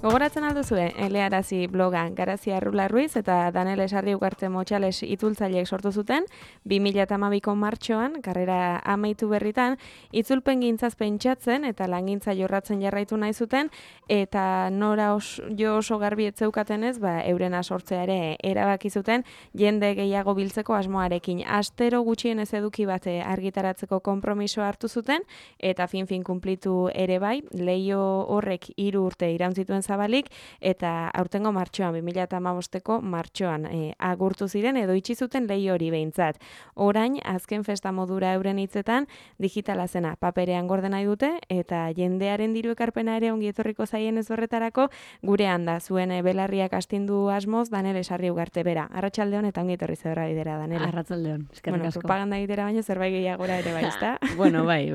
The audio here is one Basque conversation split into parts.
Gogoratzen alduzue, Elearazi blogan Garazia Errula Ruiz eta Danel Esarri Ugarte Motxales itzultzaileek sortu zuten, 2012ko martxoan, karrera amaitu berritan, itzulpen gintzaz pentsatzen eta langintza jorratzen jarraitu nahi zuten, eta nora oso garbi etzeukatenez, eurena sortzea ere erabaki zuten, jende gehiago biltzeko asmoarekin. Astero gutxienez eduki bat argitaratzeko konpromiso hartu zuten, eta fin kunplitu ere bai, leio horrek 3 urte iraun zituen zabalik, eta aurtengo martxoan, 2015ko martxoan agurtu ziren edo itxi zuten leio hori behintzat. Orain, azken festa modura euren hitzetan, digitala zena paperean gorde nahi dute, eta jendearen diru ekarpena ere ongi etorriko zaien ez horretarako, gurean da zuen belarriak astindu asmoz, Danel Esarri Ugarte bera. Arratsaldeon eta ongi etorri zebra bidera, Danela. Arratsaldeon, eskerrik asko. Propaganda egitera baino zerbait gehiagora ere bai, ezta? Bueno, bai.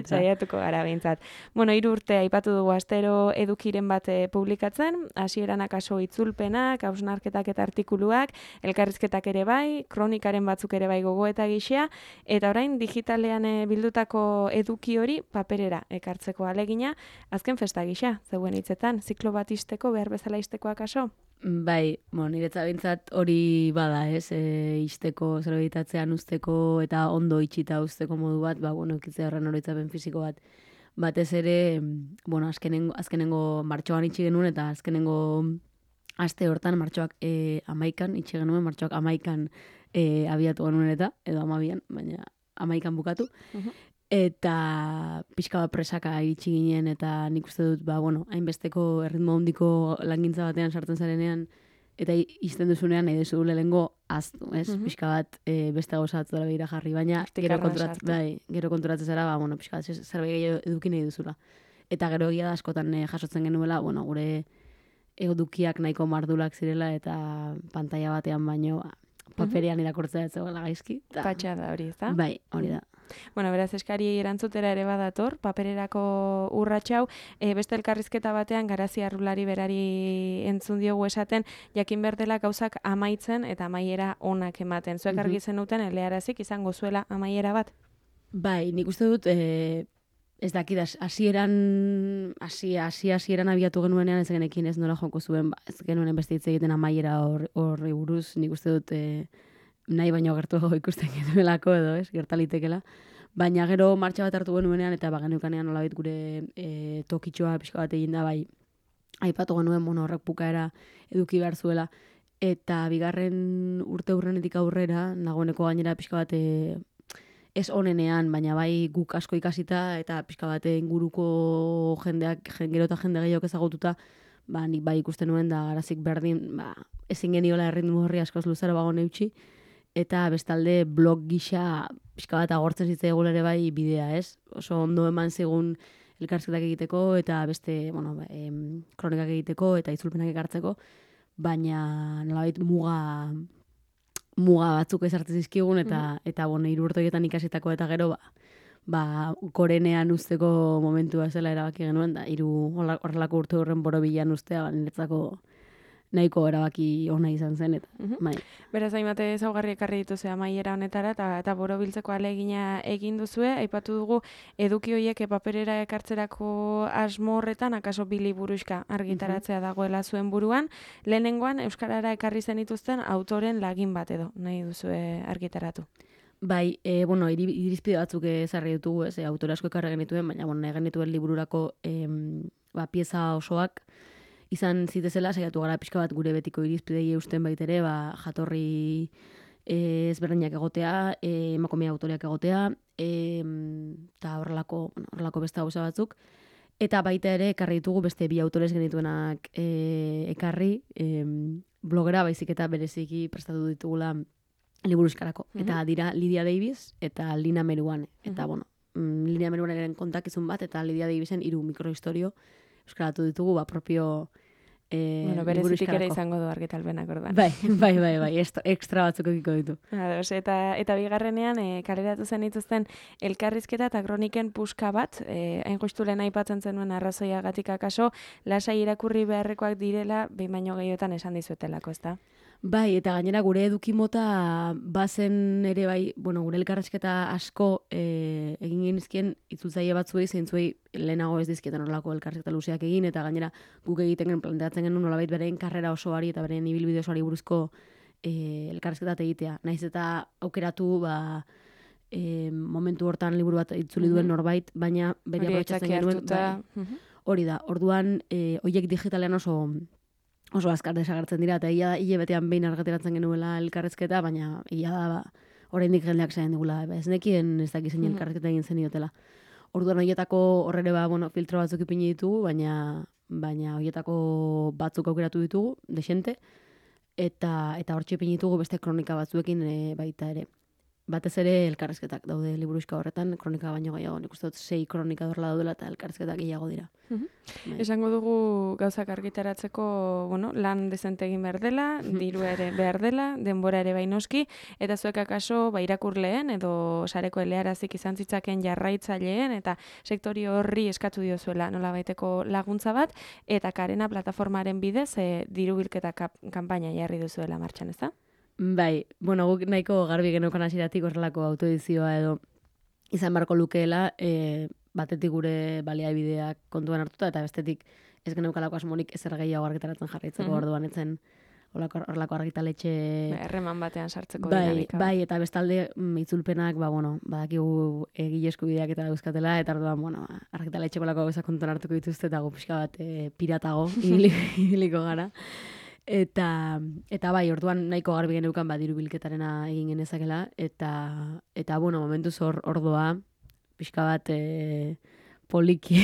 Saiatuko gara behintzat. 3 urte aipatu dugu astero edukiren bat publikatzen, hasieran akaso itzulpenak, hausnarketak eta artikuluak, elkarrizketak ere bai, kronikaren batzuk ere bai gogo eta gixea, eta orain digitalean bildutako eduki hori paperera ekartzeko alegina, azken festa gisa, zeuen hitzetan, ziklo bat isteko, behar bezala isteko akaso? Bai, niretzat behintzat hori bada, ez, isteko, zerbitatzean usteko eta ondo itxita usteko modu bat, ekitzea horren oroitzapen fisiko bat. Batez ere, azkenengo martxoan itxi genuen eta azkenengo aste hortan martxoak 11an itxi genuen, martxoak 11an abiatu genuen eta, edo 12an, baina 11an bukatu. Eta pixka bat presaka iritsi ginen eta nik uste dut, hainbesteko erritmo handiko langintza batean sartzen zarenean eta izten duzunean nahi duzu lehengo aztu, ez? Pixka bat beste gauzatu dara behira jarri, baina gero konturatzen zara, pixka bat zerbait gehiago eduki nahi duzula. Eta gero egia da askotan jasotzen genuela, gure edukiak nahiko mardulak zirela eta pantalla batean baino paperean irakurtzea ez zegoela gaizki. Patxada hori, ezta? Bai, hori da. Beraz, eskari erantzutera ere badator, papererako urratxau, beste elkarrizketa batean Garazia Errulari berari entzun diogu esaten, jakin berdela gauzak amaitzen eta amaiera onak ematen. Zuek argi zenuten, Elearazik izango zuela amaiera bat? Bai, nik uste dut, ez dakit, hasieran abiatu genuenean ez genekin ez nola joko zuen, ez genuen beste hitz egiten amaiera horri buruz, nik uste dut, nahi baino gertuago ikusten genuelako edo, ez, gertalitekela. Baina gero martxa bat hartu genuenean eta genukanean nolabait gure tokitxoa pixka bat egin da, bai, aipatu genuen horrek bukaera eduki behar zuela. Eta bigarren urte hurrenetik aurrera, nagoeneko gainera pixka bat ez onenean, baina bai guk asko ikasita eta pixka bat inguruko jendeak, gero eta jende gehiago ezagututa, nik bai ikusten nuen da Garazik berdin, ezin geniola erritmo horri askoz luzaro bago neutxi, eta bestalde blog gisa pixka bat agortzen zitzaigun ere bai bidea, ez? Oso ondo eman zigun elkarrizketak egiteko eta beste, kronikak egiteko eta itzulpenak ekartzeko, baina nolabait muga batzuk ezartzen zizkigun eta 3 urte horietan ikasitako eta gero gorenean usteko momentua zela erabaki genuen da horrelako urte horren borobilan ustea niretzako nahiko erabaki ona izan zen eta bai. Beraz, hainbat ezaugarri ekarri dituzu amaiera honetara eta borobiltzeko ahalegina egin duzue, aipatu dugu eduki horiek paperera ekartzerako asmo horretan, akaso 2 liburuxka argitaratzea dagoela zuen buruan, lehenengoan euskarara ekarri zenituzten autoren lagin bat edo, nahi duzue argitaratu. Bai, irizpide batzuk ezarri ditugu, ez, autore asko ekarri genituen, baina nahi genituen libururako pieza osoak izan zitezela, saiatu gara pixka bat gure betiko irizpidei eusten baitere, jatorri ezberdinak egotea, emakumea autoreak egotea, eta horrelako beste gauza batzuk. Eta baita ere, ekarri ditugu beste 2 autores genituenak ekarri, blogera baizik eta bereziki prestatu ditugula liburuzkarako. Eta dira Lidia Davis eta Lina Meruane. Eta, Lina Meruaneren kontakizun bat, eta Lidia Davisen 3 mikrohistorio euskaratu ditugu, propio berezitik ere izango du argitalpenak orduan. Bai, ekstra batzuk egiko ditu. Eta bigarrenean, kaleratu zen dituzten elkarrizketa eta kroniken puska bat, hain justu lehen aipatzen zenuen arrazoiagatik akaso, lasai irakurri beharrekoak direla, behin baino gehiotan esan dizuetelako, ezta? Bai, eta gainera gure eduki mota bazen ere bai, bueno, gure elkarrizketa asko egin genizkien itzultzaile batzuei, zeintzuei lehenago ez dizkietan horrelako elkarrizketa luzeak egin, eta gainera guk egiten genuen planteatzen genuen nolabait beren karrera osoari eta beren ibilbide osoari buruzko elkarrizketa egitea. Naiz eta aukeratu, momentu hortan liburu bat itzuli duen norbait, baina bere aprobetxatzen genuen. Hori da, orduan, horiek digitalean oso azkar desagertzen dira, eta hile betean behin argateratzen genuela elkarrezketa, baina da, oraindik jendeak zain digula, ez nekien ez dakizen elkarrezketa egin zen iotela. Orduan horietako horrere filtro batzuk ipini ditugu, baina horietako batzuk aukeratu ditugu, desente, eta hortxe ipini ditugu beste kronika batzuekin baita ere. Batez ere elkarrezketak daude liburuxka horretan, kronika baino gehiago, nik uste dut 6 kronika dorla daudela eta elkarrezketak gehiago dira. Esango dugu gauzak argitaratzeko, lan dezente egin behar dela, diru ere behar dela, denbora ere bainoski, eta zuek akaso irakurleen edo sareko elearazik izan zitzaken jarraitzaileen eta sektori horri eskatu diozuela nola baiteko laguntza bat, eta Karena plataformaren bidez diru bilketa kanpaina jarri duzuela martxan, ez da? Bai, guk nahiko garbi geneukan hasieratik horrelako autoedizioa edo izan barko lukeela, batetik gure baliabideak kontuan hartuta, eta bestetik ez geneukalako asmorik ezer gehiago argitaratzen jarraitzeko, orduan etzen horrelako argitaletxe... Erreman batean sartzeko dinamika. Bai, eta bestalde itzulpenak, badakigu egile eskubideak eta dauzkatela, eta orduan, argitaletxeko lako gauzak kontuan hartuko dituzte, eta gu pixka bat piratago ibiliko gara. Eta bai, orduan nahiko garbi geneukan diru bilketarena egin genezakela, eta momentuz ordoa, pixka bat poliki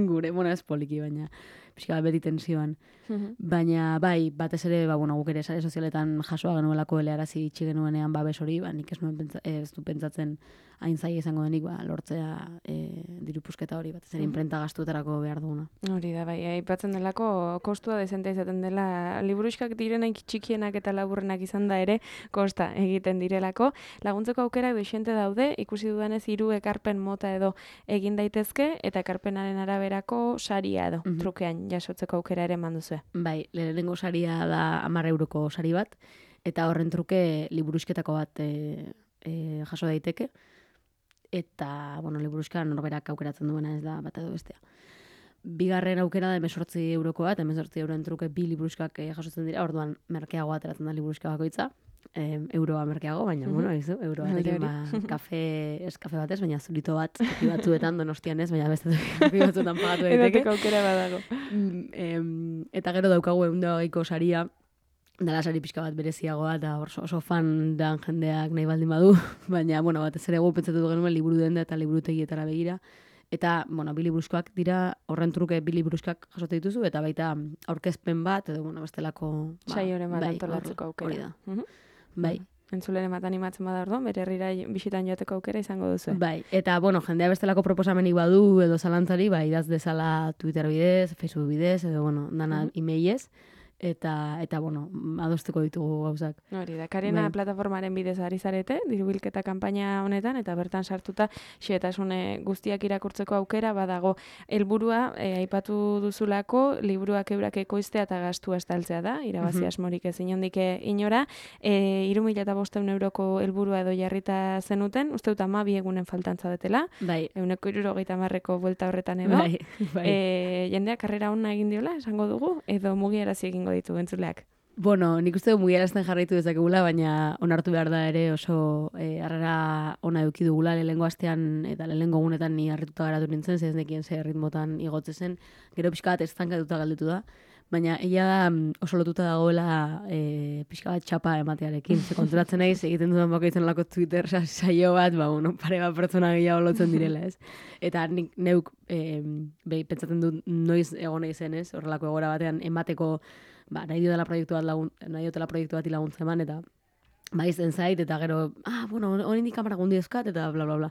gure, ez poliki, baina pixka bat beti tensioan. Baina bai, batez ere, guk ere sare sozialetan jasoa genuelako elearazi itxi genuenean babes hori, nik ez du pentsatzen hain zaila izango denik lortzea diru pusketa hori, batez ere imprenta gastuetarako behar duguna. Hori da, bai, aipatzen delako kostua dezente izaten dela, liburuxkak direnak txikienak eta laburrenak izan da ere, kosta egiten direlako. Laguntzeko aukerak doixente daude, ikusi dudanez 3 ekarpen mota edo egin daitezke, eta ekarpenaren araberako saria edo, trukean jasotzeko aukera ere manduzue. Bai, lehenengo saria da 10 euroko sari bat, eta horren truke liburuxketako bat jaso daiteke, eta, liburuxka norberak aukeratzen duena ez da bat edo bestea. Bigarren aukera da 18 eurokoa, eta 18 euroen truke 2 liburuxkak jasotzen dira, orduan merkeagoa ateratzen da liburuxka bakoitza, euroa merkeago, baina, euroa atekin, ez kafe batez, baina zurito bat, toki batzuetan, Donostian ez, baina beste toki batzuetan pagatu daiteke. Edoteko aukera badago. Eta gero daukagu 120ko saria, dala sari pixka bat bereziagoa, eta oso fan dan jendeak nahi baldin badu, baina, batez ere gu pentsatu genuen liburu denda eta liburutegietara begira, eta, 2 liburuxkoak dira, horren truke 2 liburuxkak jasote dituzu, eta baita aurkezpen bat, edo, bestelako... Saioren bat antolatzeko aukera. Hori da. Bai. Entzuleren bat animatzen bada orduan, bere herrira bisitan joateko aukera izango duzu. Bai, eta, jendea bestelako proposamenik badu edo zalantzari, idaz dezala Twitter bidez, Facebook bidez, edo, dana emailez, eta adosteko ditugu gauzak. Hori da, Karena plataformaren bidez ari zarete, diru bilketa kanpaina honetan, eta bertan sartuta xehetasune guztiak irakurtzeko aukera badago. Helburua aipatu duzulako, liburuak eurak ekoiztea eta gastua estaltzea da, irabazi asmorik ez inondik inora. 3.500 euroko helburua edo jarrita zenuten, uste dut 12 egunen faltantza detela, 170ko buelta horretan edo. Jendeak karrera hona egin diola, esango dugu, edo mugiarazi egingo ditu entzuleak. Nik uste du mugiarazten jarraitu dezakegula, baina onartu behar da ere oso harrera ona eduki dugula lehenengo astean eta lehenengo gunetan ni harrituta garatu nintzen, ez nekien ze ritmotan igotze zen, gero pixka bat estankatuta galdetu da, baina ella da oso lotuta dagoela pixka bat txapa ematearekin, ze konturatzen naiz egiten dudan bakoitzen lako Twitter saio bat, pare bat pertsona gehiago lotzen direla, ez? Eta nik neuk pentsatzen dut noiz egon nahi zen, ez? Horrelako egora batean emateko nahi dutela proiektu bat laguntza eman, eta izen zait, eta gero, oraindik kamera gundi euskat, eta bla, bla, bla.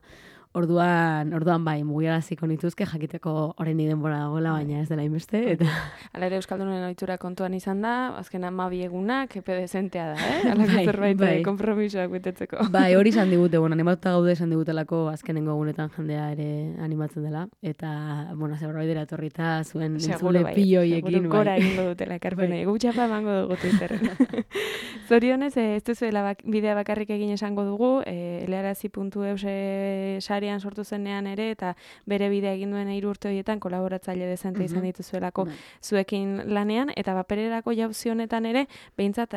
Orduan bai, mugiaraziko nituzke jakiteko orain denbora dagoela, baina ez dela inbeste. Eta... Hala ere Euskaldunen ohitura kontuan izan da, azken 12 egunak, epe dezentea da, Alako zerbait konpromisoak betetzeko. Bai, hori izan digute, animatuta gaude izan digutelako azkenengo egunetan jendea ere animatzen dela. Eta, zerbaidera etorrita zuen entzule pilloiekin. Seguro gora egingo dutela, ekarpenei. Gutxapa emango dugu Twitterren. Zorionez, ez duzuela bidea bakarrik egin esango dugu, elearazi.eus sarian sortu zenean ere, eta bere bidea egin duen 3 urte horietan kolaboratzaile dezente izan dituzuelako zuekin lanean, eta papererako jauzi honetan ere, behintzat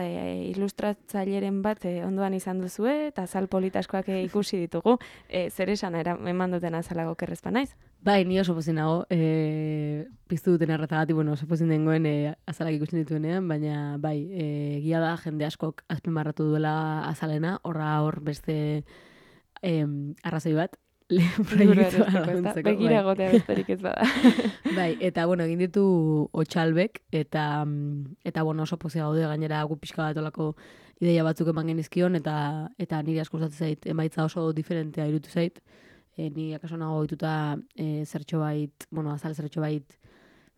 ilustratzaileren bat ondoan izan duzue, eta azal politaskoak ikusi ditugu, zer esan eman duten azalago kerrezpa naiz? Bai, ni oso pozin nago, piztu duten erratagatik, oso pozin dengoen azalak ikusten dituenean, baina bai, egia da jende askok azpimarratu duela azalena, hor beste arrazoi bat, proiektua laguntzeko. Begira egotea besterik ez bada. Bai, eta egin ditu Otxalbek, eta oso pozia gaude gainera gu pixka bat olako ideia batzuk eman genizkion, eta niri asko gustatzen zait, emaitza oso diferentea irutu zait, ni akaso nago dituta zertxo bait, azal zertxo bait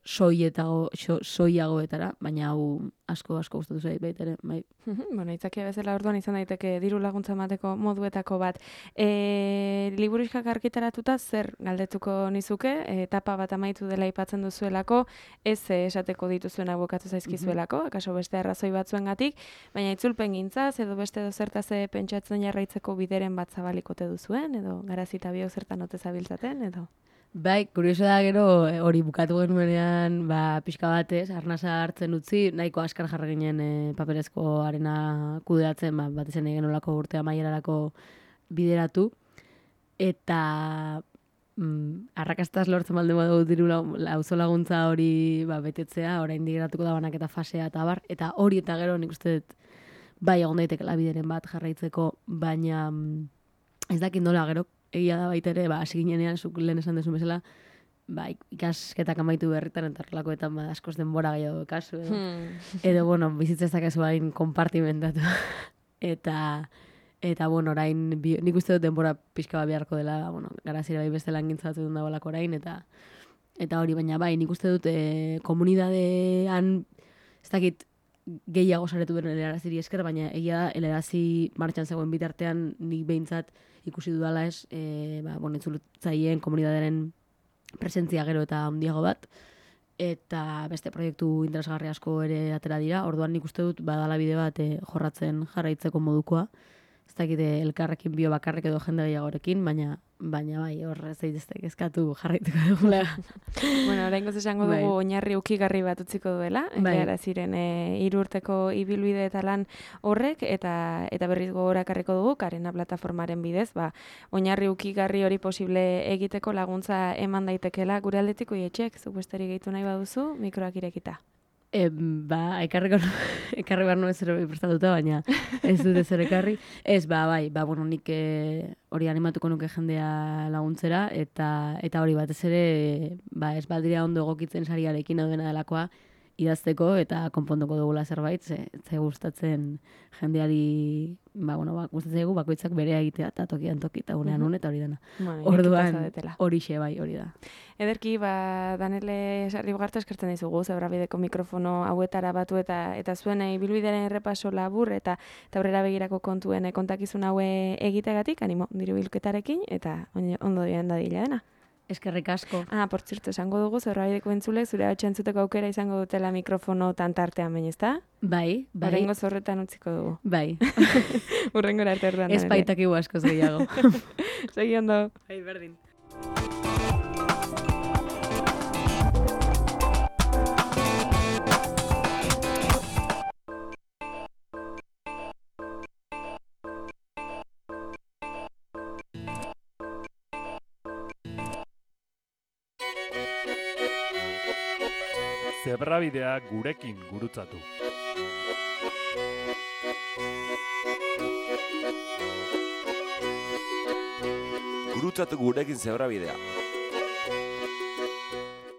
soiagoetara, baina hau asko gustatu zait baita ere, bai. Itzakia bezala orduan izan daiteke diru laguntza emateko moduetako bat. Liburuxkak argitaratuta zer galdetuko nizuke, etapa bat amaitu dela aipatzen duzuelako, ez esateko dituzuena bukatu zaizkizuelako, akaso beste arrazoi batzuengatik, baina itzulpen gintzaz, edo beste dozertaz pentsatzen jarraitzeko bideren bat zabalikote duzuen, edo garazita biok zertan ote zabiltzaten, edo... Bai, kurioso da gero hori bukatu genuenean, pixka batez, arnasa hartzen utzi, nahiko askar jarra ginen paperezko arena kudeatzen, batez ene genolako urtea maierarako bideratu, eta arrakastaz lortzen balde badu diru auzo laguntza hori betetzea, orain digeratuko da banaketa fasea eta bar, eta hori eta gero nik uste dut bai egon daitekela bideren bat jarraitzeko, baina ez dakit nola gero, egia da baita ere, hasi ginenean, zuk lehen esan desun bezala, ikasketak amaitu berritan, eta horrelakoetan askoz denbora gehiago kasu, edo, bizitza ez dakezu hain konpartimentatu. Eta orain, nik uste dut denbora pixka bat beharko dela, garazira bai beste lan gintzatu dut dagoelako orain, eta hori, baina bai, nik uste dut komunidadean, ez dakit, gehiago saretu beren eleraziri esker, baina egia da, elerazi martxan zegoen bitartean nik behintzat ikusi dudala ez, entzulutzaileen komunitatearen presentzia gero eta handiago bat, eta beste proiektu interesgarri asko ere atera dira, orduan nik uste dut badala bide bat jorratzen jarraitzeko modukoa, ez dakite elkarrekin bio bakarrek edo jende gehiagorekin, baina bai, horre zeiteztek eskatu jarraituko dugula. Oraingoz esango dugu oinarri ukigarri bat utziko duela, gara ziren 3 urteko ibilbide eta lan horrek, eta berriz gogorakarriko dugu, Karena plataformaren bidez, oinarri ukigarri hori posible egiteko laguntza eman daitekela gure aldetik oietxek, zuk besterik gehitu nahi baduzu, mikroak irekita. Ekarri behar nuen zer prestatuta, baina ez dute zer ekarri. Ez, nik hori animatuko nuke jendea laguntzera, eta hori batez ere, ez baldira ondo egokitzen sariarekin hau dena delakoa, idazteko eta konponduko dugula zerbait, ze gustatzen jendeari, gustatzen dugu bakoitzak berea egitea, eta tokian toki, eta unean eta hori dena. Orduan, horixe hori da. Ederki, Danele Sarribogarte eskertzen dizugu, Zebrabideko mikrofono hauetara batu eta zuen ibilbidearen errepaso labur eta aurrera begirako kontuen kontakizun haue egitegatik, animo, diru bilketarekin, eta ondo dien dadila dena. Eskerrik asko. Por zirto, esango dugu, Zebrabideko entzulek, zure hau txentzuteko aukera izango dutela mikrofono tantartean baina, ezta? Bai. Horrengo zorretan utziko dugu. Bai. Urrengora arte erduan. Ez baitakigu askoz gehiago. Segi ondo. Bai, berdin. Zebrabidea gurekin gurutzatu. Gurutzatu gurekin Zebrabidea.